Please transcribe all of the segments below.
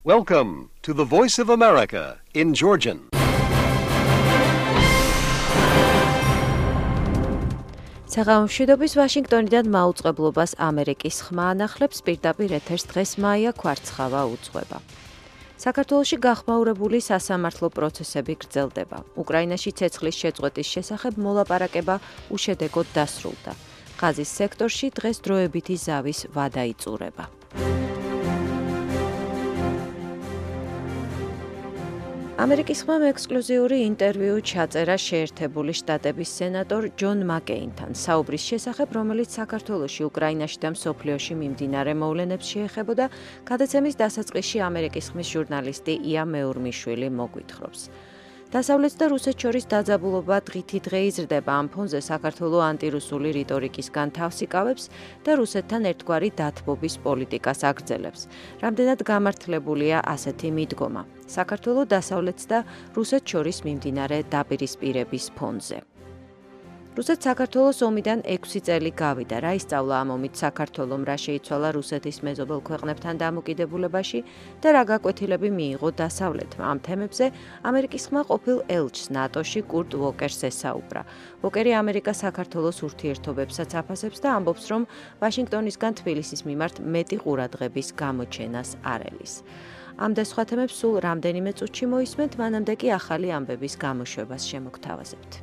Welcome to the Voice of America in Georgian. საღამომშვიდობის ვაშინგტონიდან მაუწყებლობას ამერიკის ხმა ანახლებს პირდაპირ ეთერს დღეს მაია ქვარცხავა უძღვება. საქართველოში გახმაურებული სასამართლო პროცესები გრძელდება. უკრაინაში ცეცხლის შეწყვეტის შესახებ მოლაპარაკება უშედეგოდ დასრულდა. ღაზის სექტორში დღეს დროებითი ზავის ვადა იწურება. ამერიკის ხმამ ექსკლუზიური ინტერვიუ ჩაწერა შეერთებული შტატების სენატორ ჯონ მაკეინთან საუბრის შესახებ, რომელიც საქართველოში, უკრაინაში და მსოფლიოში მიმდინარე მოვლენებს შეეხებოდა, გადაცემის დასაწყისში ამერიკის ხმის ჟურნალისტი ია მეურმიშვილი მოგვითხრობს. დასავლეთს და რუსეთს შორის დაძაბულობა დღითი დღე იზრდება, ამ ფონზე საქართველო ანტირუსული რიტორიკისგან თავს იკავებს და რუსეთთან ერთგვარი დათბობის პოლიტიკას აგრძელებს. რამდენად გამართლებულია ასეთი მიდგომა? საქართველო დასავლეთს და რუსეთს შორის მიმდინარე დაპირისპირების ფონზე. რუსეთს საქართველოს ომიდან 6 წელი გავიდა, რა ისწავლა ამ ომით საქართველომ, რა შეიცვალა რუსეთის მეზობელ ქვეყნებთან დამოკიდებულებაში და რა გაკვეთილები მიიღო დასავლეთმა. ამ თემებზე ამერიკის ხმა ყოფილ ელჩს ნატოში კურტ ვოკერს ესაუბრა. ვოკერი ამერიკა საქართველოს ურთიერთობებსაც აფასებს და ამბობს, რომ ვაშინგტონისგან თბილისის მიმართ მეტი ყურადღების გამოჩენას არ ელის. ამ და სხვა თემებს სულ რამდენიმე წუთში მოისმენთ, მანამდე კი ახალი ამბების გამოშვებას შემოგთავაზებთ.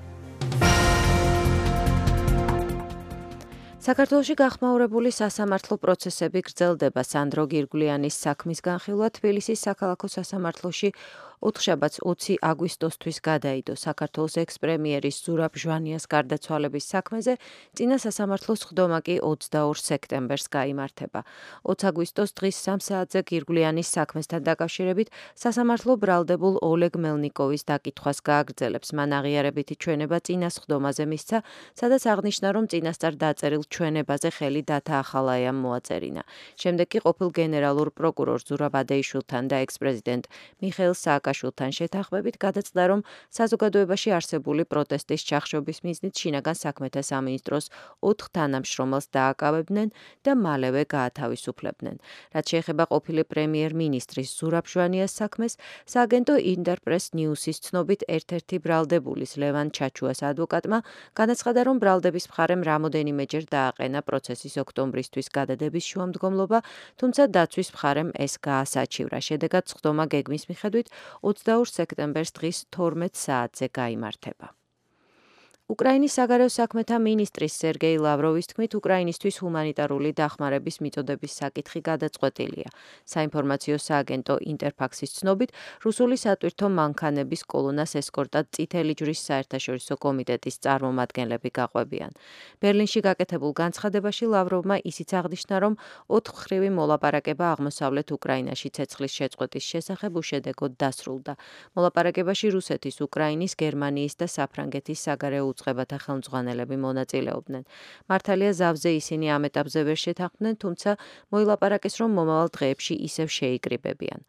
საქართველოში გახმაურებული სასამართლო პროცესები გრძელდება. სანდრო გირგვლიანის საქმის განხილვა თბილისის საქალაქო სასამართლოში ოთხშაბათს 20 აგვისტოსთვის გადაიდო. საქართველოს ექს-პრემიერის ზურაბ ჟვანიას გარდაცვალების საქმეზე წინა სასამართლოს ხდომა კი 22 სექტემბერს გაიმართება. 20 აგვისტოს დღის 3 საათზე გირგვლიანის საქმესთან დაკავშირებით სასამართლო ბრალდებულ ოლეგ მელნიკოვის დაკითხვას გააგრძელებს. მან აღიარებითი ჩვენება წინას ხდომაზე მისცა, სადაც აღნიშნა, რომ წინასწარ დაწერილ ჩვენებაზე ხელი დათაახალაიამ მოაწერინა. შემდეგ კი ყოფილ გენერალურ პროკურორ ზურაბ ადეიშვილთან და ექს-პრეზიდენტ მიხეილ სააკაშვილთან შეთანხმებით გადაწყდა, რომ საზოგადოებაში არსებული პროტესტის ჩახშობის მიზნით შინაგან საქმეთა სამინისტროს 4 თანამშრომელს დააკავებდნენ და მალევე გაათავისუფლებდნენ. რაც შეეხება ყოფილი პრემიერ-მინისტრის ზურაბ ჟვანიას საქმეს, სააგენტო ინტერპრეს ნიუსის ცნობით ერთ-ერთი ბრალდებულის ლევან ჩაჩუას ადვოკატმა განაცხადა, რომ ბრალდების მხარემ რამოდენიმეჯერ დააყენა პროცესის ოქტომბრისთვის გადადების შუამდგომლობა, თუმცა დაცვის მხარემ ეს გაასაჩივრა. შედეგად სხდომა გეგმის მიხედვით 22 სექტემბერს დღის 12 საათზე გაიმართება. უკრაინის საგარეო საქმეთა მინისტრის სერგეი ლავროვის თქმით, უკრაინისთვის ჰუმანიტარული დახმარების მიწოდების საკითხი გადაწყვეტილია. საინფორმაციო სააგენტო ინტერფაქსის ცნობით, რუსული სატვირთო მანქანების კოლონას ესკორტად წითელი ჯვრის საერთაშორისო კომიტეტის წარმომადგენლები გაყვებიან. ბერლინში გაკეთებულ განცხადებაში ლავროვმა ისიც აღნიშნა, რომ 4 მხრივი მოლაპარაკება აღმოსავლეთ უკრაინაში ცეცხლის შეწყვეტის შესახებ უშედეგოდ დასრულდა. მოლაპარაკებაში რუსეთის, უკრაინის, გერმანიის და საფრანგეთის საგარეო უწყებათა ხელმძღვანელები მონაწილეობდნენ. მართალია ზავზე ისინი ამ ეტაპზე ვერ შეთანხმდნენ, თუმცა მოილაპარაკეს, რომ მომავალ დღეებში ისევ შეიკრიბებიან.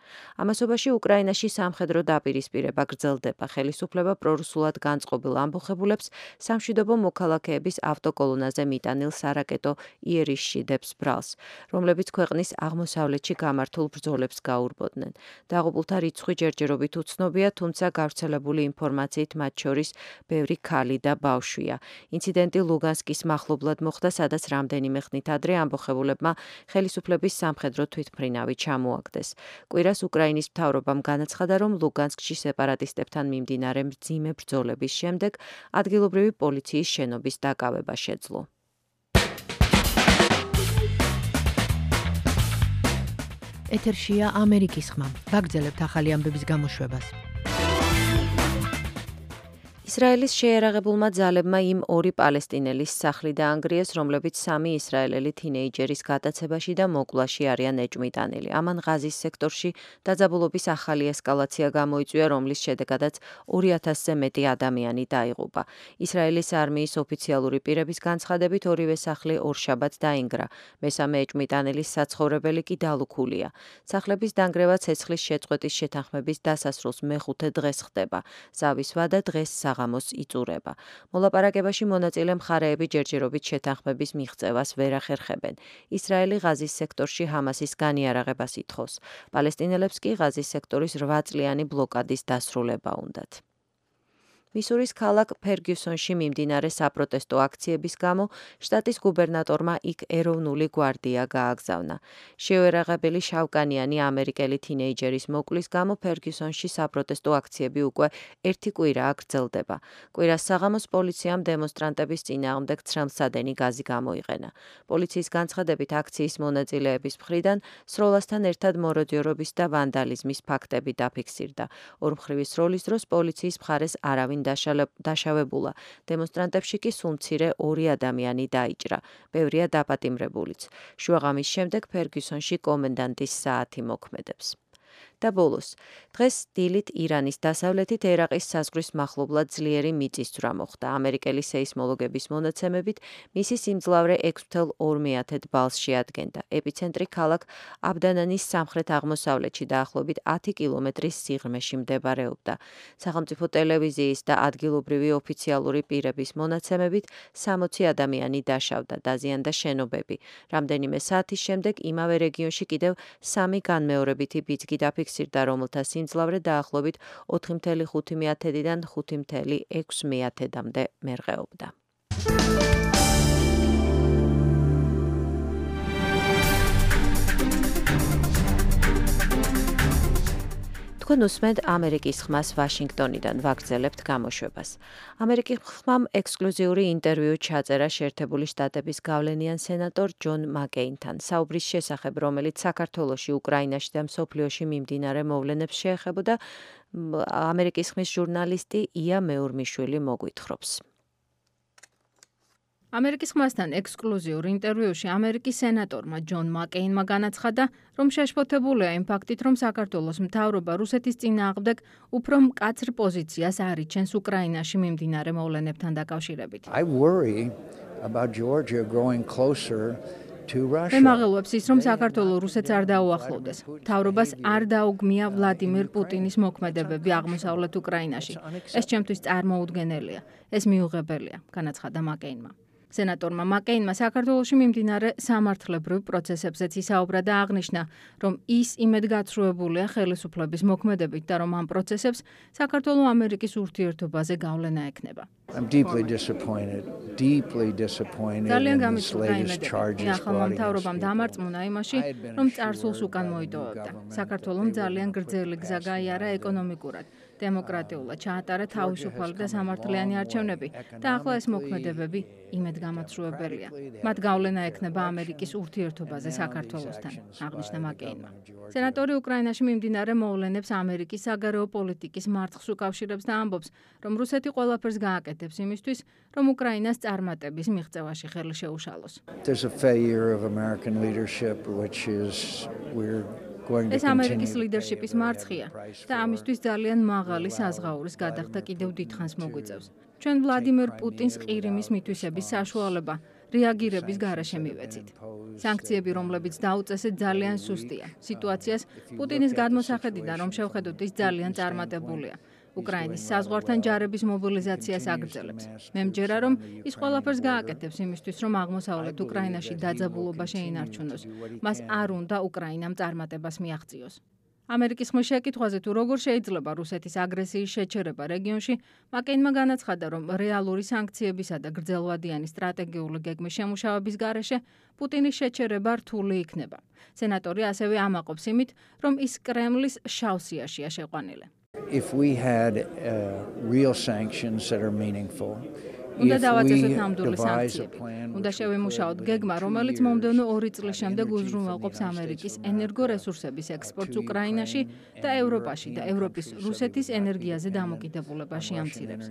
ამასობაში უკრაინაში სამხედრო დაპირისპირება გრძელდება. ხელისუფლება პრორუსულად განწყობილ ამბოხებულებს სამშვიდობო მოქალაქეების ავტოკოლონაზე მიტანილ სარაკეტო იერიშშიდებს ბრალს, რომლებიც ქვეყნის აღმოსავლეთში გამართულ ბრძოლებს გაურბოდნენ. დაღუპულთა რიცხვი ჯერჯერობით უცნობია, თუმცა გავრცელებული ინფორმაციით მათ შორის ბევრი ქალი და ბავშვია. ინციდენტი ლუგანსკის მახლობლად მოხდა, სადაც რამდენიმე ხნით ადრე ამბოხებულებმა ხელისუფლების სამხედრო თვითმფრინავი ჩამოაგდეს. კვირას უკრაინის მთავრობამ განაცხადა, რომ ლუგანსკში სეპარატისტებთან მიმდინარე მძიმე ბრძოლების შემდეგ ადგილობრივი პოლიციის შენობის დაკავება შეძლო. ეთერშია ამერიკის ხმა. ვაგრძელებთ ახალი ამბების გამოშვებას. ისრაელის შეერაღებულმა ძალებმა იმ 2 პალესტინელის სახლი დაანგრიეს, რომლებიც 3 ისრაელელი თინეიჯერის გატაცებაში და მოკლაში არიან ეჭვმიტანილი. ამან ღაზის სექტორში დაძაბულობის ახალი ესკალაცია გამოიწვია, რომლის შედეგადაც 2000-ზე მეტი ადამიანი დაიღუპა. ისრაელის არმიის ოფიციალური პირების განცხადებით, ორივე სახლი ორშაბათს დაინგრა. მესამე ეჭვმიტანილის საცხოვრებელი კი დალუქულია. სახლების დანგრევა ცეცხლის შეწყვეტის შეთანხმების დასასრულს მეხუთე დღეს ხდება. ზავის ვადა დღეს საღამოს იწურება. მოლაპარაკებაში მონაწილე მხარეები ჯერჯერობით შეთანხმების მიღწევას ვერ ახერხებენ. ისრაელი ღაზის სექტორში ჰამასის განიარაღებას ითხოვს. პალესტინელებს კი ღაზის სექტორის 8 წლიანი ბლოკადის დასრულება უნდათ. მისურის ქალაქ ფერგიუსონში მიმდინარე საპროტესტო აქციების გამო შტატის გუბერნატორმა იქ ეროვნული გვარდია გააგზავნა. შეუერაღებელი შავკანიანი ამერიკელი თინეიჯერის მოკვლის გამო ფერგიუსონში საპროტესტო აქციები უკვე 1 კვირაა გრძელდება. კვირას საღამოს პოლიციამ დემონსტრანტების წინააღმდეგ ცრემლსადენი გაზი გამოიყენა. პოლიციის განცხადებით აქციის მონაწილეების მხრიდან სროლასთან ერთად მოროდიორობის და ვანდალიზმის ფაქტები დაფიქსირდა. ორმხრივი სროლის დროს პოლიციის მხარეს არავინ დაშავებულა. დემონსტრანტებში კი სულ მცირე 2 ადამიანი დაიჭრა. ბევრია დაპატიმრებულიც. შუაღამის შემდეგ ფერგიუსონში კომენდანტის საათი მოქმედებს. და ბოლოს, დღეს დილით ირანის დასავლეთით ერაყის საზღვრის მახლობლად ძლიერი მიწისძვრა მოხდა. ამერიკელი სეისმოლოგების მონაცემებით მისი სიმძლავრე 6.2 ბალს შეადგენდა. ეპიცენტრი ქალაქ აბდანანის სამხრეთ-აღმოსავლეთში დაახლოებით 10 კილომეტრის სიღრმეში მდებარეობდა. სახელმწიფო ტელევიზიის და ადგილობრივი ოფიციალური პირების მონაცემებით 60 ადამიანი დაშავდა, დაზიანდა შენობები. რამდენიმე საათის შემდეგ იმავე რეგიონში კიდევ 3 განმეორებითი ბიძგი დაფიქსირდა, რომელთა სიმძლავრე დაახლოებით 4.5-დან 5.6-მდე მერყეობდა. თქვენ უსმენთ ამერიკის ხმას ვაშინგტონიდან, ვაგრძელებთ გამოშვებას. ამერიკის ხმამ ექსკლუზიური ინტერვიუ ჩაწერა შეერთებული შტატების გავლენიან სენატორ ჯონ მაკეინთან, საუბრის შესახებ, რომელიც საქართველოში, უკრაინაში და მსოფლიოში მიმდინარე მოვლენებს შეეხებოდა, ამერიკის ხმის ჟურნალისტი ია მეურმიშვილი მოგვითხრობს. ამერიკის ხმასთან ექსკლუზიურ ინტერვიუში ამერიკის სენატორმა ჯონ მაკეინმა განაცხადა, რომ შეშფოთებულია იმ ფაქტით, რომ საქართველოს მთავრობა რუსეთის წინააღმდეგ უფრო მკაცრ პოზიციას არიჩენს უკრაინაში მიმდინარე მოვლენებთან დაკავშირებით. მე მაღელვებს ის, რომ საქართველო რუსეთს არ დაუახლოვდეს. მთავრობას არ დაუგმია ვლადიმერ პუტინის მოქმედებები აღმოსავლეთ უკრაინაში. ეს ჩემთვის წარმოუდგენელია. ეს მიუღებელია, განაცხადა მაკეინმა. სენატორმა მაკეინმა საქართველოში მიმდინარე სამართლებრივ პროცესებზეც ისაუბრა და აღნიშნა, რომ ის იმედგაცრუებულია ხელისუფლების მოქმედებით და რომ ამ პროცესებს საქართველო-ამერიკის ურთიერთობაზე გავლენა ექნება. ძალიან გამიწვია იმედები. ახალმა მთავრობამ დამარწმუნა იმაში, რომ წარსულს უკან მოიტოვებდა. საქართველომ ძალიან გრძელი გზა გაიარა ეკონომიკურად. დემოკრატიულად ჩაატარა თავისუფალი და სამართლიანი არჩევნები და ახლა ეს მოქმედებები იმედგამოწრუებელია. მათ გავლენა ექნება ამერიკის ურთიერთობაზე საქართველოსთან, აღნიშნა მაკეინმა. სენატორი უკრაინაში მიმდინარე მოვლენებს ამერიკის საგარეო პოლიტიკის მარცხს უკავშირებს და ამბობს, რომ რუსეთი ყველაფერს გააკეთებს იმისთვის, რომ უკრაინას წარმატების მიღწევაში ხელი შეუშალოს. ეს ამერიკის ლიდერშიპის მარცხია და ამისთვის ძალიან მაღალი საზღაურის გადახდა კიდევ დიდხანს მოგვიწევს. ჩვენ ვლადიმერ პუტინს ყირიმის მითვისების საშუალება რეაგირების გარეშე მივეცით. სანქციები, რომლებიც დაუწესეთ, ძალიან სუსტია. სიტუაციას პუტინის გადმოსახედიდან, რომ შევხედოთ, ის ძალიან წარმატებულია. უკრაინის საზღვართან ჯარების მობილიზაციას აგრძელებს. მე მჯერა, რომ ის ყველაფერს გააკეთებს იმისთვის, რომ აღმოსავლეთ უკრაინაში დაძაბულობა შეინარჩუნოს. მას არ უნდა უკრაინამ წარმატებას მიაღწიოს. ამერიკის ხმის შეკითხვაზე თუ როგორ შეიძლება რუსეთის აგრესიის შეჩერება რეგიონში, მაკეინმა განაცხადა, რომ რეალური სანქციებისა და გრძელვადიანი სტრატეგიული გეგმის შემუშავების გარეშე პუტინის შეჩერება რთული იქნება. სენატორი ასევე ამაყობს იმით, რომ ის კრემლის შავ სიაშია შეყვანილი. If we had real sanctions that are meaningful, უნდა დავაწესოთ ნამდვილი სანქციები. უნდა შევიმუშაოთ გეგმა, რომელიც მომდევნო 2 წლის შემდეგ უზრუნველყოფს ამერიკის ენერგორესურსების ექსპორტს უკრაინაში და ევროპაში და ევროპის რუსეთის ენერგიაზე დამოკიდებულებას შეამცირებს.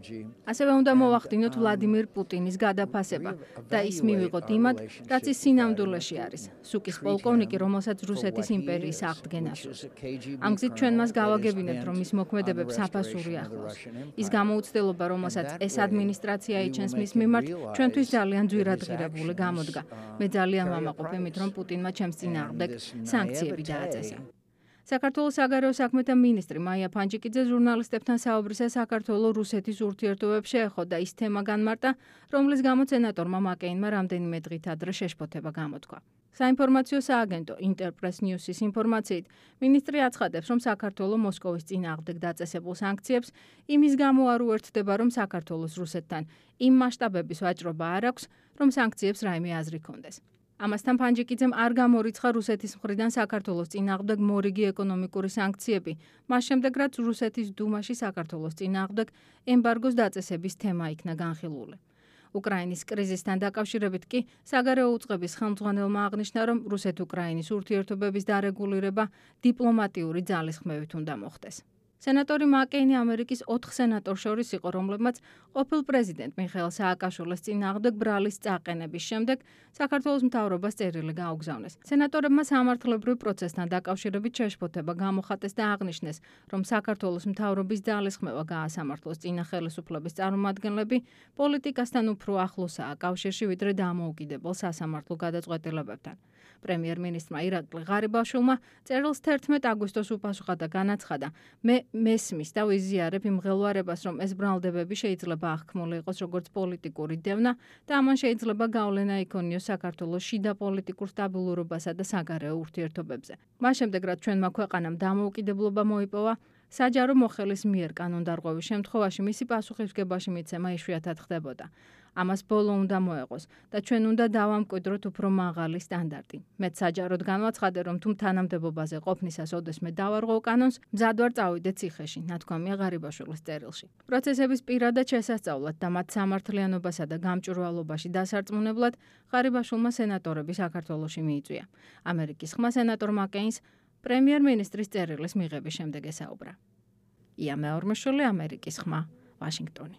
ასევე უნდა მოვახდინოთ ვლადიმერ პუტინის გადაფასება და ის მივიღოთ იმად, რაც ის სინამდვილეში არის. სუკის პოლკოვნიკი, რომელსაც რუსეთის იმპერიის აღდგენას სურს. ამ გზით ჩვენ მას გავაგებინებთ, რომ ის მოქმედებებს საფასური ახლავს. ის გამოუცდელობა, რომელსაც ეს ადმინისტრაცია ჩენს მის მიმართ ჩვენთვის ძალიან ძვირადღირებული გამოდგა. მე ძალიან ვამაყობ იმით, რომ პუტინმა ჩემს წინააღმდეგ სანქციები დააწესა. საქართველოს საგარეო საქმეთა მინისტრი მაია ფანჯიკიძე ჟურნალისტებთან საუბრისას საქართველოს რუსეთის ურთიერთობებს შეეხო და ის თემა განმარტა, რომლის გამო სენატორმა მაკეინმა რამდენიმე დღით ადრე შეშფოთება გამოთქვა. საინფორმაციო სააგენტო Interpress News-ის ინფორმაციით, მინისტრი აცხადებს, რომ საქართველოს მოსკოვის წინააღმდეგ დაწესებულ სანქციებს იმის გამო არ უერთდება, რომ საქართველოს რუსეთთან იმ მასშტაბების ვაჭრობა არ აქვს, რომ სანქციებს რაიმე აზრი ჰქონდეს. ამასთან ფანჯიკიძემ არ გამორიცხა რუსეთის მხრიდან საქართველოს წინააღმდეგ მორიგი ეკონომიკური სანქციები, მას შემდეგ რაც რუსეთის დუმაში საქართველოს წინააღმდეგ ემბარგოს დაწესების თემა იქნა განხილული. უკრაინის კრიზისთან დაკავშირებით კი საგარეო უწყების ხელმძღვანელმა აღნიშნა, რომ რუსეთ-უკრაინის ურთიერთობების დარეგულირება დიპლომატიური ძალისხმევით უნდა მოხდეს. სენატორი მაკეინი ამერიკის 4 სენატორს შორის იყო, რომლებმაც ყოფილ პრეზიდენტ მიხეილ სააკაშვილის წინააღმდეგ ბრალის წაყენების შემდეგ საქართველოს მთავრობას წერილი გაუგზავნეს. სენატორებმა სამართლებრივ პროცესთან დაკავშირებით შეშფოთება გამოხატეს და აღნიშნეს, რომ საქართველოს მთავრობის ძალისხმევა გაასამართლოს წინა ხელისუფლების წარმომადგენლები პოლიტიკასთან უფრო ახლოსაა კავშირში, ვიდრე დამოუკიდებელ სასამართლო გადაწყვეტილებებთან. პრემიერ-მინისტრმა ირაკლი ღარიბაშვილმა წერილს 11 აგვისტოს უპასუხა და განაცხადა, მე მესმის და ვიზიარებ იმ მღელვარებას, რომ ეს ბრალდებები შეიძლება აღქმული იყოს როგორც პოლიტიკური დევნა და ამან შეიძლება გავლენა იქონიოს საქართველოს შიდა პოლიტიკურ სტაბილურობასა და საგარეო ურთიერთობებზე. მას შემდეგ, რაც ჩვენმა ქვეყანამ დამოუკიდებლობა მოიპოვა, საჯარო მოხელის მიერ კანონდარღვევის შემთხვევაში მისი პასუხისმგებაში მიცემა იშვიათად ხდებოდა. ამას ბოლო უნდა მოეღოს და ჩვენ უნდა დავამკვიდროთ უფრო მაღალი სტანდარტი. მეც საჯაროდ განვაცხადე, რომ თუ თანამდებობაზე ყოფნისას ოდესმე დავარღვევ კანონს, მზად ვარ წავიდე ციხეში, ნათქვამია ღარიბაშვილის წერილში. პროცესების პირადად შესასწავლად და მათ სამართლიანობასა და გამჭვირვალობაში დასარწმუნებლად ღარიბაშვილმა სენატორები საქართველოში მიიწვია. ამერიკის ხმა სენატორ მაკეინს პრემიერ-მინისტრის წერილის მიღების შემდეგ ესაუბრა. ია მეორმეშვილი, ამერიკის ხმა, ვაშინგტონი.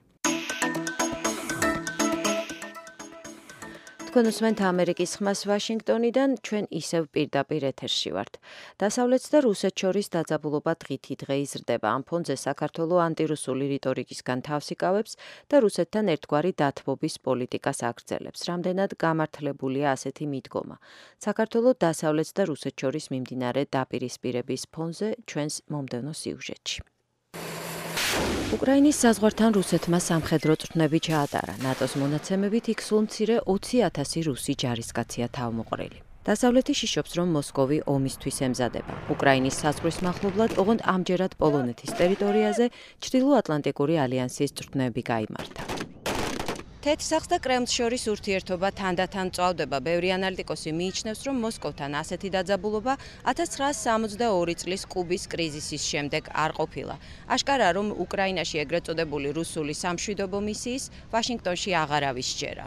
თქვენ უსმენთ ამერიკის ხმას ვაშინგტონიდან, ჩვენ ისევ პირდაპირ ეთერში ვართ. დასავლეთს და რუსეთს შორის დაძაბულობა დღითი დღე იზრდება. ამ ფონზე საქართველოს ანტირუსული რიტორიკისგან თავს იკავებს და რუსეთთან ერთგვარი დათბობის პოლიტიკას აგრძელებს. რამდენად გამართლებულია ასეთი მიდგომა. საქართველოს დასავლეთს და რუსეთს შორის მიმდინარე დაპირისპირების ფონზე ჩვენს მომდევნო სიუჟეტში. უკრაინის საზღვართან რუსეთმა სამხედრო წვრთნები ჩაატარა. ნატოს მონაცემებით იქ სულ მცირე 20,000 რუსი ჯარისკაცია თავმოყრილი. დასავლეთი შიშობს, რომ მოსკოვი ომისთვის ემზადება. უკრაინის საზღვრის მახლობლად, ოღონდ ამჯერად პოლონეთის ტერიტორიაზე ჩრდილო-ატლანტიკური ალიანსის წვრთნები გაიმართა. თეთრსახს და კრემლს შორის ურთიერთობა თანდათან მწვავდება. ბევრი ანალიტიკოსი მიიჩნევს, რომ მოსკოვთან ასეთი დაძაბულობა 1962 წლის კუბის კრიზისის შემდეგ არ ყოფილა. აშკარაა, რომ უკრაინაში ეგრეთ წოდებული რუსული სამშვიდობო მისიის ვაშინგტონში აღარავის სჯერა.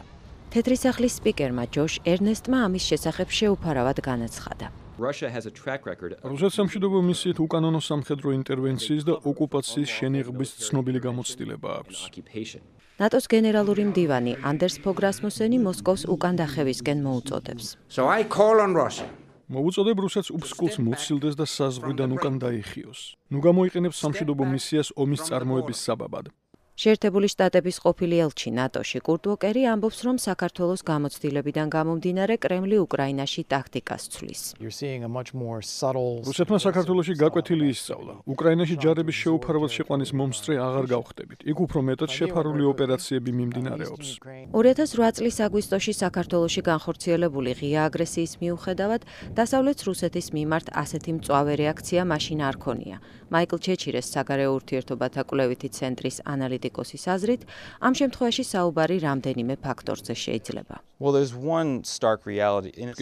თეთრი სახლის სპიკერმა ჯოშ ერნესტმა ამის შესახებ შეუფარავად განაცხადა. რუსეთის სამშვიდობო მისიით უკანონო სამხედრო ინტერვენციის და ოკუპაციის შენიღბის ცნობილი გამოცდილება აქვს. ნატოს გენერალური მდივანი ანდერს ფოგ რასმუსენი მოსკოვს უკან დახევისკენ მოუწოდებს. მოვუწოდებ რუსეთს უფსკულს მოცილდეს და საზღვრიდან უკან დაიხიოს. ნუ გამოიყენებს სამშვიდობო მისიას ომის წარმოების საბაბად. შეერთებული შტატების ყოფილი ელჩი ნატოში კურტ უოკერი ამბობს, რომ საქართველოს გამოცდილებიდან გამომდინარე კრემლი უკრაინაში ტაქტიკას ცვლის. რუსეთმა საქართველოში გაკვეთილი ისწავლა. უკრაინაში ჯარების შეუფარავად შეყვანის მომსწრე აღარ გავხდებით. იქ უფრო მეტად შეფარული ოპერაციები მიმდინარეობს. 2008 წლის აგვისტოში საქართველოში განხორციელებული ღია აგრესიის მიუხედავად, დასავლეთ რუსეთის მიმართ ასეთი მწვავე რეაქცია მაშინ არ ქონია. მაიკლ ჩეჩირეს საგარეო ურთიერთობათა კვლევითი ცენტრის ანალიტიკოსის აზრით, ამ შემთხვევაში საუბარი რამდენიმე ფაქტორზე შეიძლება.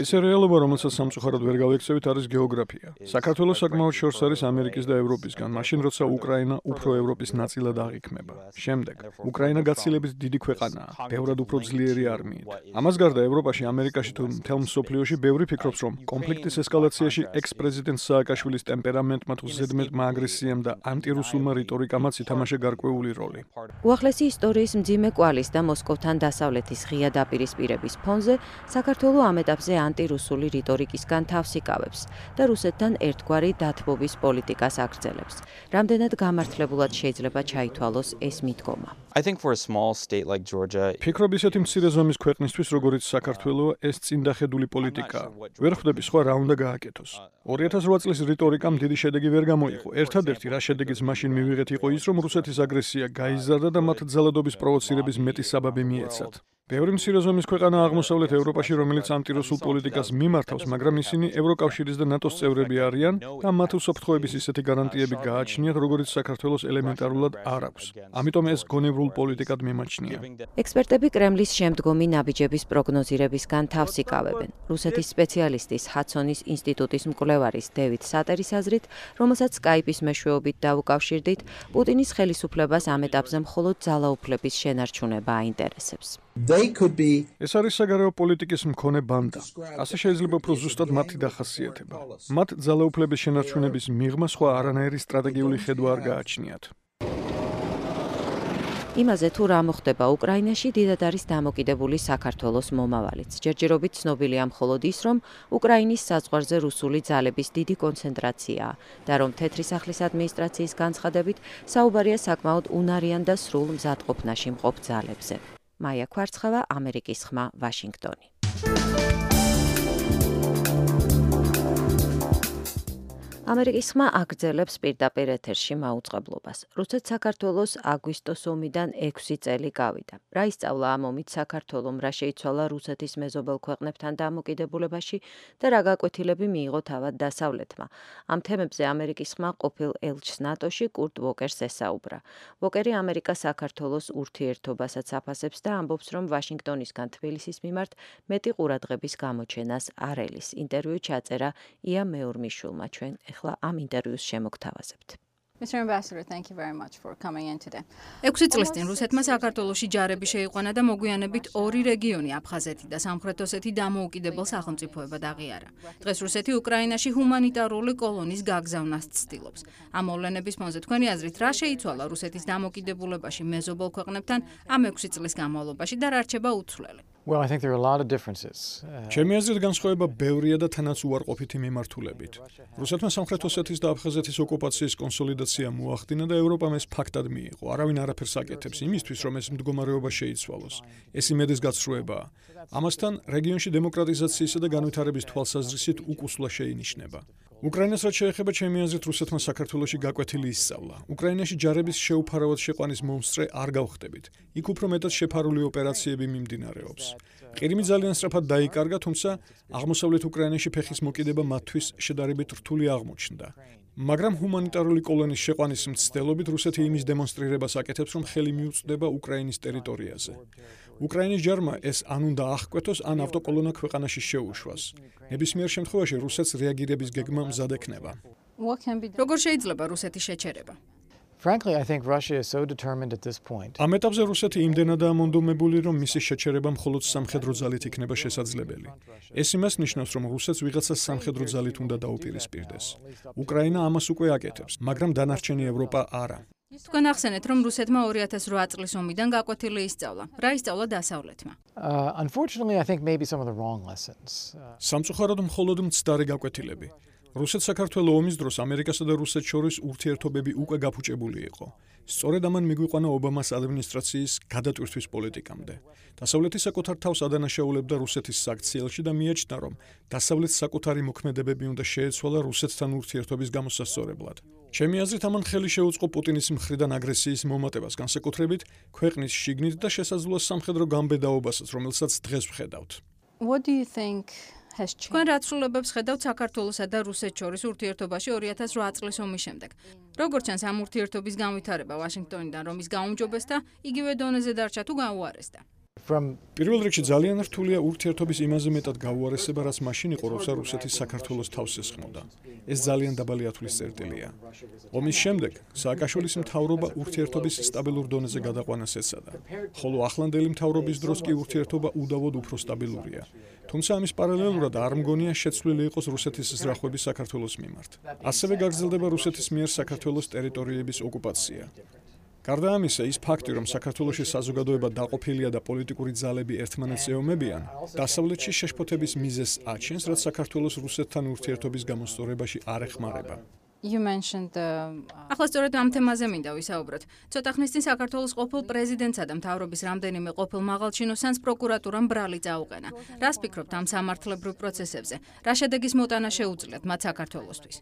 ისე რეალობა, რომელსაც სამწუხაროდ ვერ გავიქცევით, არის გეოგრაფია. საქართველოს საკმაოდ შორს არის ამერიკის და ევროპისგან, მაშინ როცა უკრაინა უფრო ევროპის ნაწილად აღიქმება. შემდეგ, უკრაინა გაცილებით დიდი ქვეყანაა, ბევრად უფრო ძლიერი არმიით. ამას გარდა ევროპაში, ამერიკაში თუ მთელ მსოფლიოში ბევრი ფიქრობს, რომ კონფლიქტის ესკალაციაში ექს-პრეზიდენტ სააკაშვილის ტემპერამენტმა თუ ზედმეტმა აგრესიამ და ანტირუსულმა რიტორიკამაც ითამაშა გარკვეული როლი. უახლესი ისტორიის მძიმე კვალის და მოსკოვთან დასავლეთის ღია დაპირისპირების დაავადების ფონზე საქართველო ამ ეტაპზე ანტირუსული რიტორიკისგან თავს იკავებს და რუსეთთან ერთგვარი დათბობის პოლიტიკას აგრძელებს. რამდენად გამართლებულად შეიძლება ჩაითვალოს ეს მიდგომა? I think for a small state like Georgia, ფიქრობ ისეთი მცირე ზომის ქვეყნისთვის, როგორიც საქართველო, ეს წინდახედული პოლიტიკაა. ვერ ხვდები სხვა რა უნდა გააკეთოს. 2008 წლის რიტორიკამ დიდი შედეგი ვერ გამოიღო. ერთადერთი რა შედეგიც მაშინ მივიღეთ იყო ის, რომ რუსეთის აგრესია გაიზარდა და მათ ძალადობის პროვოცირების მეტი საბაბი მიეცათ. ბევრი მცირე ზომის ქვეყანა აღმოსავლეთ ევროპაში, რომელიც ანტირუსულ პოლიტიკას მიმართავს, მაგრამ ისინი ევროკავშირის და ნატოს წევრები არიან და მათ უსაფრთხოების ისეთი გარანტიები გააჩნიათ, როგორიც საქართველოს ელემენტარულად არ აქვს. ამიტომ ეს გონევრულ პოლიტიკად მიმაჩნია. ექსპერტები კრემლის შემდგომი ნაბიჯების პროგნოზირებისგან თავს იკავებენ. რუსეთის სპეციალისტის ჰადსონის ინსტიტუტის მკვლევარის დევიდ სატერის აზრით, რომელსაც სკაიპის მეშვეობით დაუკავშირდით, პუტინის ხელისუფლებას ამ ეტაპზე მხოლოდ ძალაუფლების შენარჩუნება აინტერესებს. ეს არის საგარეო პოლიტიკის მქონე ბანდა. ასე შეიძლება უფრო ზუსტად მათი დახასიათება. მათ ძალაუფლების შენარჩუნების მიღმა სხვა არანაირი სტრატეგიული ხედვა არ გააჩნიათ. იმაზე თუ რა მოხდება უკრაინაში, დიდად არის დამოკიდებული საქართველოს მომავალიც. ჯერჯერობით ცნობილია მხოლოდ ის, რომ უკრაინის საზღვარზე რუსული ძალების დიდი კონცენტრაციაა და რომ თეთრი სახლის ადმინისტრაციის განცხადებით საუბარია საკმაოდ უნარიან და სრულ მზადყოფნაში მყოფ ძალებზე. მაია ქვარცხავა, ამერიკის ხმა, ვაშინგტონი. ამერიკის ხმა აგრძელებს პირდაპირ ეთერში მაუწყებლობას. რუსეთს საქართველოს აგვისტოს ომიდან 6 წელი გავიდა. რა ისწავლა ამ ომით საქართველომ, რა შეიცვალა რუსეთის მეზობელ ქვეყნებთან დამოკიდებულებაში და რა გაკვეთილები მიიღო თავად დასავლეთმა. ამ თემებზე ამერიკის ხმა ყოფილ ელჩს ნატოში კურტ ვოკერს ესაუბრა. ვოკერი ამერიკა საქართველოს ურთიერთობასაც აფასებს და ამბობს, რომ ვაშინგტონისგან თბილისის მიმართ მეტი ყურადღების გამოჩენას არ ელის. ინტერვიუ ჩაწერა ია მეორმიშვილმა. ჩვენ ახლა ამ ინტერვიუს შემოგთავაზებთ. Mr. Ambassador, thank you very much for coming in today. 6 წლის წინ რუსეთმა საქართველოში ჯარები შეიყვანა და მოგვიანებით ორი რეგიონი აფხაზეთი და სამხრეთ ოსეთი დამოუკიდებელ სახელმწიფოებად აღიარა. დღეს რუსეთი უკრაინაში ჰუმანიტარული კოლონის გაგზავნას ცდილობს. ამ მოვლენების ფონზე თქვენი აზრით რა შეიცვალა რუსეთის დამოკიდებულებაში მეზობელ ქვეყნებთან ამ 6 წლის განმავლობაში და რა რჩება უცვლელი? Well, I think there are a lot of differences. ჩემი აზრით განსხვავება ბევრია და თანაც უარყოფითი მიმართულებით. რუსეთმა სამხრეთ ოსეთის და აფხაზეთის ოკუპაციის კონსოლიდაცია მოახდინა და ევროპამ ეს ფაქტად მიიღო. არავინ არაფერს აკეთებს იმისთვის, რომ ეს მდგომარეობა შეიცვალოს. ეს იმედის გაცრუებაა. ამასთან რეგიონში დემოკრატიზაციისა და განვითარების თვალსაზრისით უკუსვლა შეინიშნება. უკრაინას რაც შეეხება, ჩემი აზრით რუსეთმა საქართველოში გაკვეთილი ისწავლა. უკრაინაში ჯარების შეუფარავად შეყვანის მომსწრე არ გავხდებით. იქ უფრო მეტად შეფარული ოპერაციები მიმდინარეობს. ყირიმი ძალიან სწრაფად დაიკარგა, თუმცა აღმოსავლეთ უკრაინაში ფეხის მოკიდება მათთვის შედარებით რთული აღმოჩნდა. მაგრამ ჰუმანიტარული კოლონის შეყვანის მცდელობით რუსეთი იმის დემონსტრირებას აკეთებს, რომ ხელი მიუწვდება უკრაინის ტერიტორიაზე. უკრაინის ჯარმა ეს ან უნდა აღკვეთოს, ან ავტოკოლონა ქვეყანაში შეუშვას. ნებისმიერ შემთხვევაში რუსეთს რეაგირების გეგმა მზად ექნება. როგორ შეიძლება რუსეთის შეჩერება? Frankly, I think Russia is so determined at this point. ამ ეტაპზე რუსეთი იმდენადაა მონდომებული, რომ მისი შეჩერება მხოლოდ სამხედრო ძალით იქნება შესაძლებელი. ეს იმას ნიშნავს, რომ რუსეთს ვიღაცა სამხედრო ძალით უნდა დაუპირისპირდეს. უკრაინა ამას უკვე აკეთებს, მაგრამ დანარჩენი ევროპა არა. თქვენ ახსენეთ, რომ რუსეთმა 2008 წლის ომიდან გაკვეთილი ისწავლა. რა ისწავლა დასავლეთმა? Unfortunately, I think maybe some of the wrong lessons. სამწუხაროდ მხოლოდ მცდარი გაკვეთილები. რუსეთ-საქართველოს ომის დროს ამერიკასა და რუსეთს შორის ურთიერთობები უკვე გაფუჭებული იყო. სწორედ ამან მიგვიყვანა ობამას ადმინისტრაციის გადატვირთვის პოლიტიკამდე. დასავლეთი საკუთარ თავს ადანაშაულებდა რუსეთის საქციელში და მიაჩნდა, რომ დასავლეთს საკუთარი მოქმედებები უნდა შეეცვალა რუსეთთან ურთიერთობის გამოსასწორებლად. ჩემი აზრით, ამან ხელი შეუწყო პუტინის მხრიდან აგრესიის მომატებას, განსაკუთრებით ქვეყნის შიგნით და შესაძლოა სამხედრო გამბედაობასაც, რომელსაც დღეს ვხედავთ. What do you think თქვენ რა ცვლილებებს ხედავთ საქართველოსა და რუსეთს შორის ურთიერთობაში 2008 წლის ომის შემდეგ? როგორც ჩანს, ამ ურთიერთობის განვითარება ვაშინგტონიდან რომის გაუმჯობესდა, იგივე დონეზე დარჩა თუ გაუარესდა? პირველ რიგში ძალიან რთულია ურთიერთობის იმაზე მეტად გაუარესება, რაც მაშინ იყო, როცა რუსეთი საქართველოს თავს ესხმოდა. ეს ძალიან დაბალი ათვლის წერტილია. ომის შემდეგ სააკაშვილის მთავრობა ურთიერთობის სტაბილურ დონეზე გადაყვანას ეცადა, ხოლო ახლანდელი მთავრობის დროს კი ურთიერთობა უდავოდ უფრო სტაბილურია. თუმცა ამის პარალელურად არ მგონია შეცვლილი იყოს რუსეთის ზრახვები საქართველოს მიმართ. ასევე გაგრძელდება რუსეთის მიერ საქართველოს ტერიტორიების ოკუპაცია. გარდა ამისა, ის ფაქტი, რომ საქართველოში საზოგადოება დაყოფილია და პოლიტიკური ძალები ერთმანეთს ეომებიან, დასავლეთში შეშფოთების მიზეზს აჩენს, რაც საქართველოს რუსეთთან ურთიერთობის გამოსწორებაში არ ეხმარება. You mentioned the ახლა სწორედ ამ თემაზე მინდა ვისაუბროთ. ცოტა ხნის წინ საქართველოს ყოფილ პრეზიდენტსა და მთავრობის რამდენიმე ყოფილ მაღალჩინოსანს პროკურატურამ ბრალი წაუყენა. რას ფიქრობთ ამ სამართლებრივ პროცესებზე? რა შედეგის მოტანა შეუძლიათ მათ საქართველოსთვის?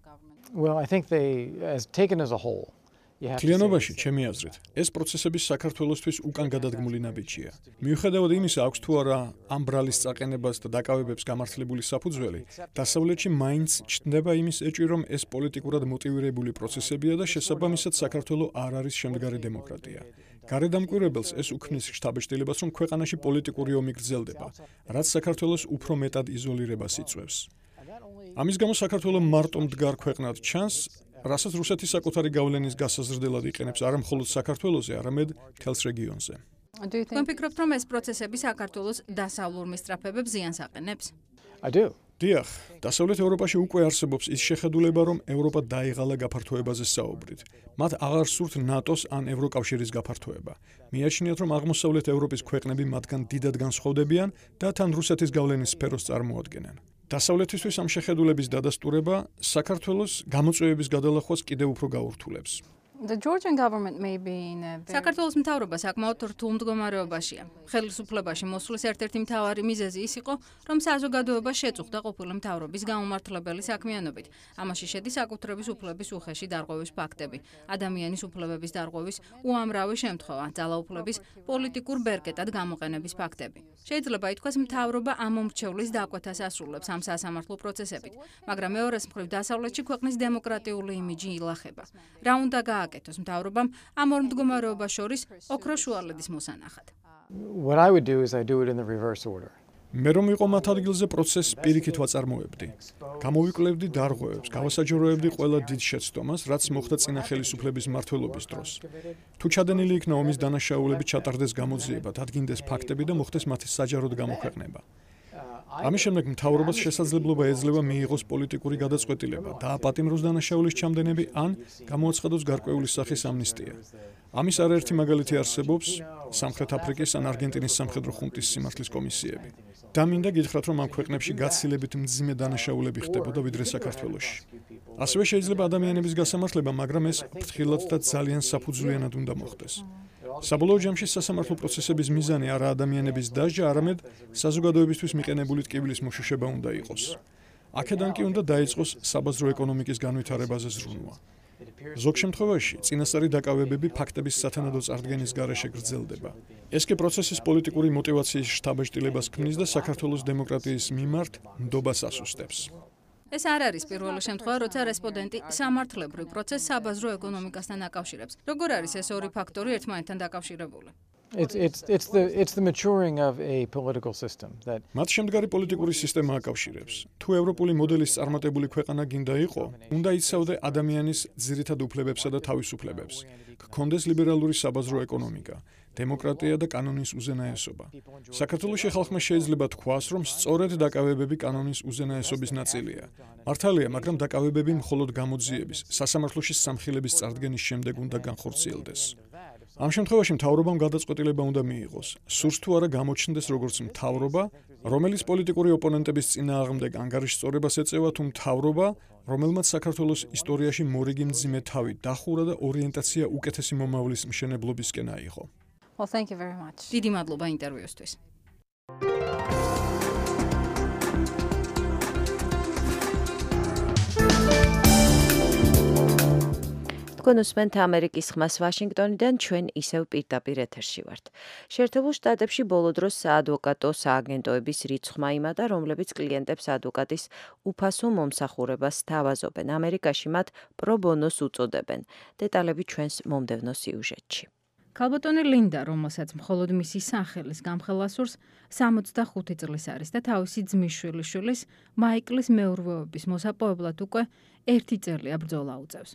Well, I think they, as taken as a whole, Კლიანობაში, ჩემი აზრით, ეს პროცესები საქართველოსთვის უკან გადადგმული ნაბიჯია. მიუხედავად იმისა, აქვს თუ არა ამ ბრალის წაყენებას და დაკავებებს გამართლებული საფუძველი, დასავლეთში მაინც ჩნდება იმის ეჭვი, რომ ეს პოლიტიკურად მოტივირებული პროცესებია და შესაბამისად საქართველო არ არის შემდგარი დემოკრატია. გარედამკვირვებელს ეს უქმნის შთაბეჭდილებას, რომ ქვეყანაში პოლიტიკური ომი გრძელდება, რაც საქართველოს უფრო მეტად იზოლირებას იწვევს. ამის გამო საქართველო მარტო მდგარ ქვეყნად ჩანს, რასაც რუსეთი საკუთარი გავლენის გასაზრდელად იყენებს არა მხოლოდ საქართველოზე, არამედ მთელს რეგიონზე. თქვენ ფიქრობთ, რომ ეს პროცესები საქართველოს დასავლურ მისწრაფებებს ზიანს აყენებს? I do. დიახ, დასავლეთ ევროპაში უკვე არსებობს ის შეხედულება, რომ ევროპა დაიღალა გაფართოებაზე საუბრით. მათ აღარ სურთ ნატოს ან ევროკავშირის გაფართოება. მიაჩნიათ, რომ აღმოსავლეთ ევროპის ქვეყნები მათგან დიდად განსხვავდებიან და თან რუსეთის გავლენის სფეროს წარმოადგენენ. დასავლეთისთვის ამ შეხედულების დადასტურება საქართველოს გამოწვევების გადალახვას კიდევ უფრო გაურთულებს. The Georgian government may be in a very საქართველოს მთავრობა საკმაოდ რთულ მდგომარეობაშია. ხელისუფლებაში მოსვლის ერთ-ერთი მთავარი მიზეზი ის იყო, რომ საზოგადოება შეწუხდა ყოფილი მთავრობის გაუმართლებელი საქმიანობით. ამაში შედის საკუთრების უფლების უხეში დარღვევის ფაქტები, ადამიანის უფლებების დარღვევის უამრავი შემთხვევა, ძალაუფლების პოლიტიკურ ბერკეტად გამოყენების ფაქტები. შეიძლება ითქვას, მთავრობა ამომრჩევლის დაკვეთას ასრულებს ამ სასამართლო პროცესებით, მაგრამ მეორეს მხრივ დასავლეთში ქვეყნის დემოკრატიული იმიჯი ილახება. რა უნდა გააკეთოს მთავრობამ ამ ორ მდგომარეობას შორის ოქროს შუალედის მოსანახად? What I would do is I do it in the reverse order. მე რომ იყო მათ ადგილზე პროცესს პირიქით ვაწარმოებდი. გამოვიკლებდი დარღვევებს, გავასაჯაროებდი ყველა დიდ შეცდომას, რაც მოხდა წინა ხელისუფლების მმართველობის დროს. თუ ჩადენილი იქნა ომის დანაშაულები ჩატარდეს გამოძიება, დადგინდეს ფაქტები და მოხდეს მათი საჯაროდ გამოქვეყნება. ამის შემდეგ მთავრობას შესაძლებლობა ეძლევა მიიღოს პოლიტიკური გადაწყვეტილება, დააპატიმროს დანაშაულის ჩამდენები ან გამოაცხადოს გარკვეული სახის ამნისტია. ამის არაერთი მაგალითი არსებობს სამხრეთ აფრიკის ან არგენტინის სამხედრო ხუნტის სიმართლის კომისიები. და მინდა გითხრათ, რომ ამ ქვეყნებში გაცილებით მძიმე დანაშაულები ხდებოდა ვიდრე საქართველოში. ასევე შეიძლება ადამიანების გასამართლება, მაგრამ ეს ფრთხილად და ძალიან საფუძვლიანად უნდა მოხდეს. საბოლოო ჯამში სასამართლო პროცესების მიზანი არა ადამიანების დასჯა, არამედ საზოგადოებისთვის მიყენებული ტკივილის მოშუშება უნდა იყოს. აქედან კი უნდა დაიწყოს საბაზრო ეკონომიკის განვითარებაზე ზრუნვა. ზოგ შემთხვევაში წინასწარი დაკავებები ფაქტების სათანადო წარდგენის გარეშე გრძელდება. ეს კი პროცესის პოლიტიკური მოტივაციის შთაბეჭდილებას ქმნის და საქართველოს დემოკრატიის მიმართ ნდობას ასუსტებს. ეს არ არის პირველი შემთხვევა, როცა რესპონდენტი სამართლებრივ პროცესს საბაზრო ეკონომიკასთან აკავშირებს. როგორ არის ეს ორი ფაქტორი ერთმანეთთან დაკავშირებული? It's the maturing of a political system that მათ შემდგარი პოლიტიკური სისტემა აკავშირებს. თუ ევროპული მოდელის წარმატებული ქვეყანა გინდა იყო, უნდა იცავდე ადამიანის ძირითად უფლებებსა და თავისუფლებებს. გქონდეს ლიბერალური საბაზრო ეკონომიკა, დემოკრატია და კანონის უზენაესობა. საქართველოში ხალხმა შეიძლება თქვას, რომ სწორედ დაკავებები კანონის უზენაესობის ნაწილია. მართალია, მაგრამ დაკავებები მხოლოდ გამოძიების, სასამართლოში სამხილების წარდგენის შემდეგ უნდა განხორციელდეს. ამ შემთხვევაში მთავრობამ გადაწყვეტილება უნდა მიიღოს. სურს თუ არა გამოჩნდეს როგორც მთავრობა, რომელიც პოლიტიკური ოპონენტების წინააღმდეგ ანგარიშსწორებას ეწევა, თუ მთავრობა, რომელმაც საქართველოს ისტორიაში მორიგი მძიმე თავი დახურა და ორიენტაცია უკეთესი მომავლის მშენებლობისკენ აიღო. Well, thank you very much. დიდი მადლობა ინტერვიუსთვის. თქვენ უსმენთ ამერიკის ხმას ვაშინგტონიდან, ჩვენ ისევ პირდაპირ ეთერში ვართ. შეერთებულ შტატებში ბოლო დროს საადვოკატო სააგენტოების რიცხვმა იმატა, რომლებიც კლიენტებს ადვოკატის უფასო მომსახურებას სთავაზობენ. ამერიკაში მათ პრო ბონოს უწოდებენ. დეტალები ჩვენს მომდევნო სიუჟეტში. ქალბატონი ლინდა, რომელსაც მხოლოდ მისი სახელის გამხელასურს 65 წლის არის და თავისი ძმის შვილიშვილის მაიკლის მეურვეობის მოსაპოვებლად უკვე 1 წელია ბრძოლა უწევს.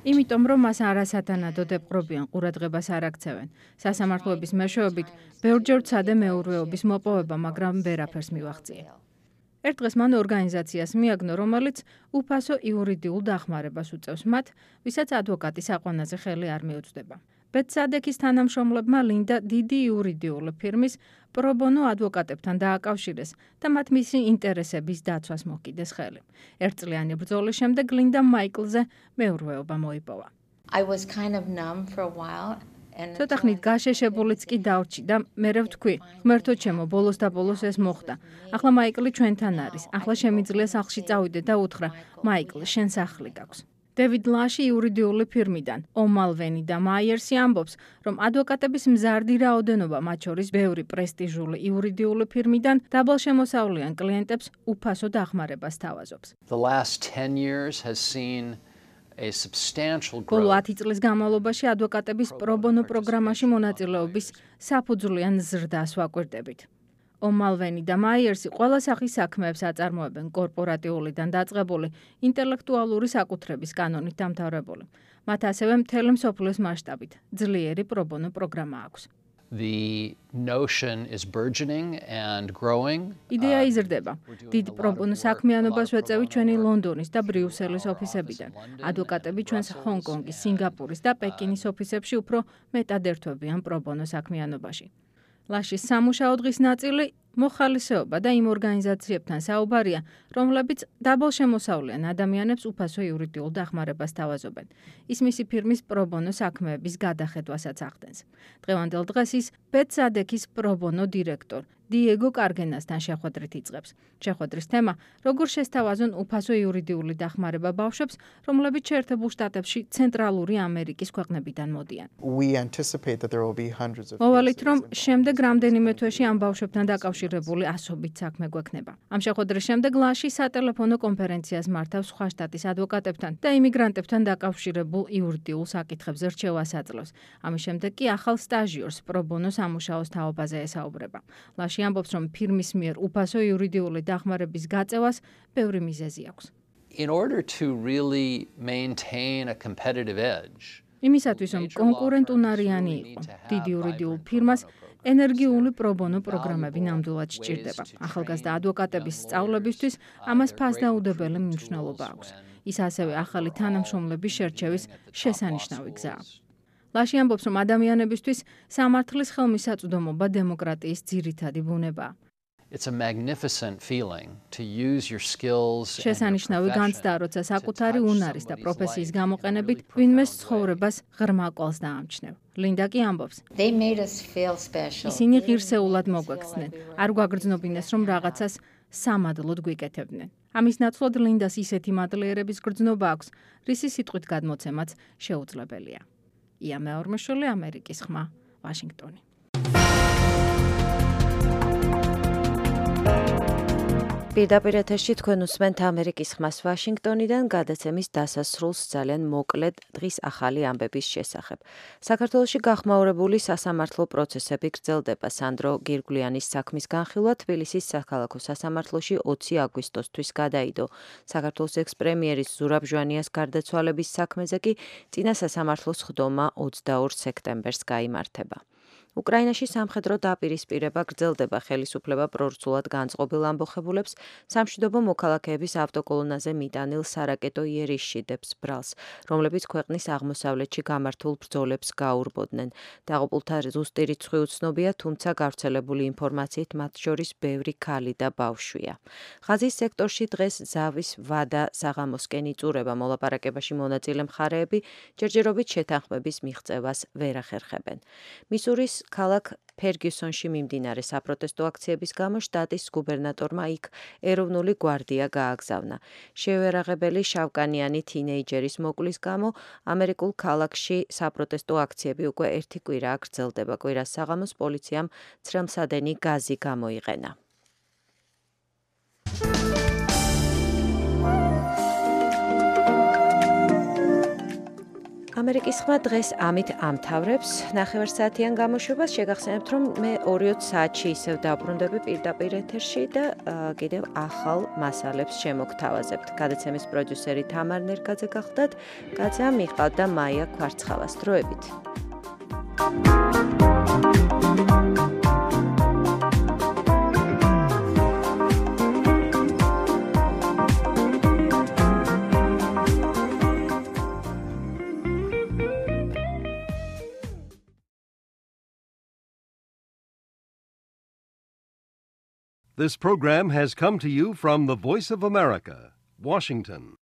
იმიტომ რომ მას არასათანადო დეპყრობიან ყურადღებას არ აქცევენ. სასამართლოების მეშვეობით ბევრჯერ ცადე მეურვეობის მოპოვება, მაგრამ ვერაფერს მივაღწია. ერთ დღეს მან ორგანიზაციას მიაგნო, რომელიც უფასო იურიდიულ დახმარებას უწევს მათ, ვისაც ადვოკატის აყვანაზე ხელი არ მიუწვდება. ბეცადექის თანამშრომლებმა ლინდა დიდი იურიდიული ფირმის პრობონო ადვოკატებთან დააკავშირეს და მათ მისი ინტერესების დაცვას მოკიდეს ხელი. ერთწლიანი ბრძოლის შემდეგ ლინდა მაიკლზე მეურვეობა მოიპოვა. ცოტა ხნით გაშეშებულიც კი დავრჩი და მერე ვთქვი, ღმერთო ჩემო, ბოლოს და ბოლოს ეს მოხდა. ახლა მაიკლი ჩვენთან არის. ახლა შემიძლია სახლში წავიდე და უთხრა, მაიკლ, შენ სახლი გაქვს. დევიდ ლაში იურიდიული ფირმიდან, ომალვენი და მაიერსი ამბობს, რომ ადვოკატების მზარდი რაოდენობა, მათ შორის ბევრი პრესტიჟული იურიდიული ფირმიდან, დაბალშემოსავლიან კლიენტებს უფასო დახმარებას თავაზობს. ბოლო 10 წლის განმავლობაში ადვოკატების პრობონო პროგრამაში მონაწილეობის საფუძვლიან ზრდას ვაკვირდებით. ომალვენი და მაიერსი ყველა სახის საქმეებს აწარმოებენ კორპორატიულიდან დაწყებული ინტელექტუალური საკუთრების კანონით დამთავრებული. მათ ასევე მთელი მსოფლიოს მასშტაბით ძლიერი პრობონო პროგრამა აქვს. იდეა იზრდება. დიდ პრობონო საქმიანობას ვეწევით ჩვენი ლონდონის და ბრიუსელის ოფისებიდან. ადვოკატები ჩვენს ჰონკონგის, სინგაპურის და პეკინის ოფისებში უფრო მეტად ერთვებიან პრობონო საქმიანობაში. ლაშის სამუშაო დღის ნაწილი მოხალისეობა და იმ ორგანიზაციებთან საუბარია, რომლებიც დაბალშემოსავლიან ადამიანებს უფასო იურიდიულ დახმარებას თავაზობენ. ის მისი ფირმის პრობონო საქმეების გადახედვასაც ახდენს. დღევანდელ დღეს ის ბეცადექის პრობონო დირექტორ დიეგო კარგენასთან შეხვედრით იწყებს. შეხვედრის თემა, როგორ შესთავაზონ უფასო იურიდიული დახმარება ბავშვებს, რომლებიც შეერთებულ შტატებში ცენტრალური ამერიკის ქვეყნებიდან მოდიან. მოვალით, რომ შემდეგ რამდენიმე თვეში ამ ბავშვებთან დაკავშირებული ასობით საქმე გვექნება. ამ შეხვედრის შემდეგ ლაში სატელეფონო კონფერენციას მართავს სხვა შტატის ადვოკატებთან და იმიგრანტებთან დაკავშირებულ იურიდიულ საკითხებზე რჩევას აძლევს. ამის შემდეგ კი ახალ სტაჟიორს პრობონო სამუშაოს თაობაზე ესაუბრება. ლაში ამბობს, რომ ფირმის მიერ უფასო იურიდიული დახმარების გაწევას ბევრი მიზეზი აქვს. იმისათვის, რომ კონკურენტუნარიანი იყო, დიდი იურიდიულ ფირმას ენერგიული პრობონო პროგრამები ნამდვილად სჭირდება. ახალგაზრდა ადვოკატების სწავლებისთვის ამას ფასდაუდებელი მნიშვნელობა აქვს. ის ასევე ახალი თანამშრომლების შერჩევის შესანიშნავი გზაა. ლაში ამბობს, რომ ადამიანებისთვის სამართლის ხელმისაწვდომობა დემოკრატიის ძირითადი ბუნებაა. შესანიშნავი განცდა, როცა საკუთარი უნარის და პროფესიის გამოყენებით ვინმეს ცხოვრებას ღრმა კვალს დაამჩნევ. ლინდა კი ამბობს, ისინი ღირსეულად მოგვექცნენ, არ გვაგრძნობინეს, რომ რაღაცას სამადლოდ გვიკეთებდნენ. ამის ნაცვლად ლინდას ისეთი მადლიერების გრძნობა აქვს, რისი სიტყვით გადმოცემაც შეუძლებელია. ია მეორმეშვილი, ამერიკის ხმა, ვაშინგტონი. პირდაპირ ეთერში თქვენ უსმენთ ამერიკის ხმას ვაშინგტონიდან გადაცემის დასასრულს ძალიან მოკლედ დღის ახალი ამბების შესახებ. საქართველოში გახმაურებული სასამართლო პროცესები გრძელდება. სანდრო გირგვლიანის საქმის განხილვა თბილისის საქალაქო სასამართლოში 20 აგვისტოსთვის გადაიდო. საქართველოს ექს-პრემიერის ზურაბ ჟვანიას გარდაცვალების საქმეზე კი წინა სასამართლოს ხდომა 22 სექტემბერს გაიმართება. უკრაინაში სამხედრო დაპირისპირება გრძელდება. ხელისუფლება პრორცულად განწყობილ ამბოხებულებს სამშვიდობო მოქალაქეების ავტოკოლონაზე მიტანილ სარაკეტო იერიშში დებს ბრალს, რომლებიც ქვეყნის აღმოსავლეთში გამართულ ბრძოლებს გაურბოდნენ. დაღუპულთა ზუსტი რიცხვი უცნობია, თუმცა გავრცელებული ინფორმაციით მათ შორის ბევრი ქალი და ბავშვია. ღაზის სექტორში დღეს ზავის ვადა საღამოსკენ იწურება. მოლაპარაკებაში მონაწილე მხარეები ჯერჯერობით შეთანხმების მიღწევას ვერ ახერხებენ. მისურის ქალაქ ფერგიუსონში მიმდინარე საპროტესტო აქციების გამო შტატის გუბერნატორმა იქ ეროვნული გვარდია გააგზავნა. შევერაღებელი შავკანიანი თინეიჯერის მოკვლის გამო ამერიკულ ქალაქში საპროტესტო აქციები უკვე ერთი კვირაა გრძელდება. კვირას საღამოს პოლიციამ ცრემლსადენი გაზი გამოიყენა. ამერიკის ხმა დღეს ამით ამთავრებს. ნახევარსაათიან გამოშვებას შეგახსენებთ, რომ მე 2-20 საათში ისევ დაბრუნდები პირდაპირ ეთერში და კიდევ ახალ მასალებს შემოგთავაზებთ. გადაცემის პროდიუსერი თამარ ნერგაძე გახლდათ, კაცა მიყავდა მაია ქვარცხავას. დროებით. This program has come to you from the Voice of America, Washington.